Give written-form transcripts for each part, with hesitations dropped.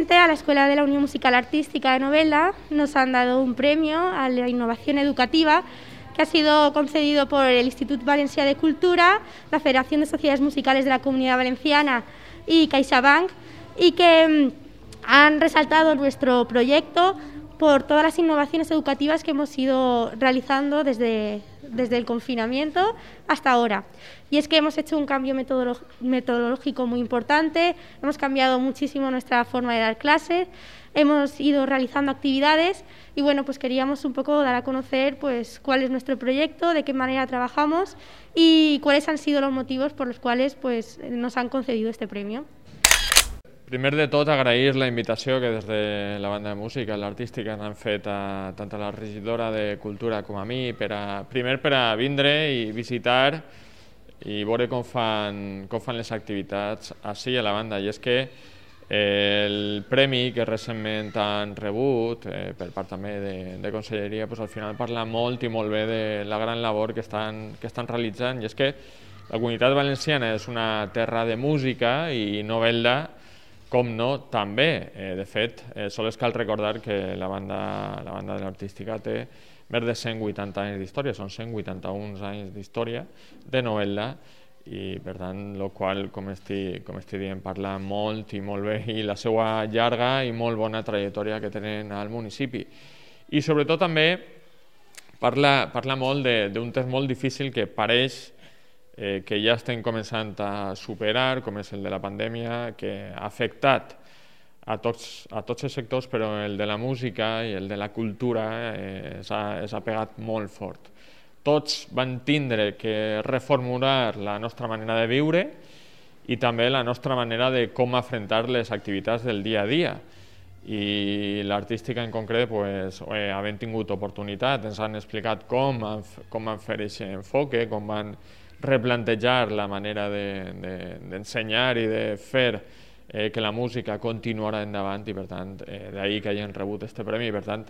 Recientemente a la Escuela de la Unión Musical Artística de Novelda nos han dado un premio a la innovación educativa que ha sido concedido por el Institut Valencià de Cultura, la Federación de Sociedades Musicales de la Comunidad Valenciana y CaixaBank, y que han resaltado nuestro proyecto por todas las innovaciones educativas que hemos ido realizando desde el confinamiento hasta ahora. Y es que hemos hecho un cambio metodológico muy importante, hemos cambiado muchísimo nuestra forma de dar clases, hemos ido realizando actividades y bueno, pues queríamos un poco dar a conocer pues cuál es nuestro proyecto, de qué manera trabajamos y cuáles han sido los motivos por los cuales pues nos han concedido este premio. Primer de tot, agrair la invitació que des de la banda de música, l'artística, han fet tant a la regidora de Cultura com a mi, primer per a vindre i visitar i veure com fan les activitats així a la banda. I és que el premi que recentment han rebut per part també de Conselleria al final parla molt i molt bé de la gran labor que estan realitzant, i és que la Comunitat Valenciana és una terra de música i Novelda, com no, també. De fet, sols cal recordar que la banda de l'artística té més de 180 anys d'història, són 181 anys d'història de Novelda, i per tant, el qual, com estic dient, parla molt i molt bé, i la seva llarga i molt bona trajectòria que tenen al municipi. I sobretot també parla molt d'un temps molt difícil que pareix que ja estem començant a superar, com és el de la pandèmia, que ha afectat a tots els sectors, però el de la música i el de la cultura s'ha pegat molt fort. Tots van tindre que reformular la nostra manera de viure i també la nostra manera de com afrontar les activitats del dia a dia. I l'artística en concret, havent tingut oportunitat, ens han explicat com van fer aquest enfoque, com van replantejar la manera d'ensenyar i de fer que la música continuarà endavant, i per tant, d'ahir que hagin rebut aquest premi. I per tant,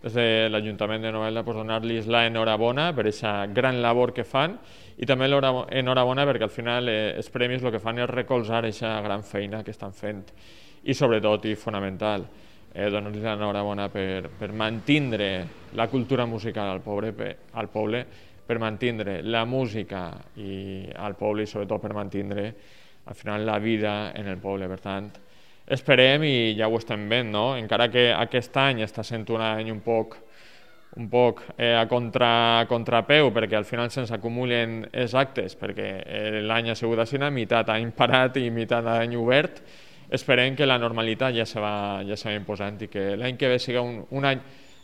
des de l'Ajuntament de Novelda, donar-los l'enhorabona per aquesta gran labor que fan, i també l'enhorabona perquè al final els premis el que fan és recolzar aquesta gran feina que estan fent. I sobretot, i fonamental, donar-los l'enhorabona per mantindre la cultura musical al poble, per mantindre la música al poble i sobretot per mantindre al final la vida en el poble. Per tant, esperem, i ja ho estem veient, encara que aquest any està sent un any un poc a contrapeu, perquè al final se'ns acumulen els actes, perquè l'any ha sigut així, meitat any parat i meitat any obert. Esperem que la normalitat ja se va imposant i que l'any que ve sigui un any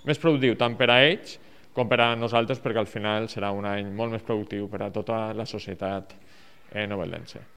més productiu tant per a ells com per a nosaltres, perquè al final serà un any molt més productiu per a tota la societat noveldense.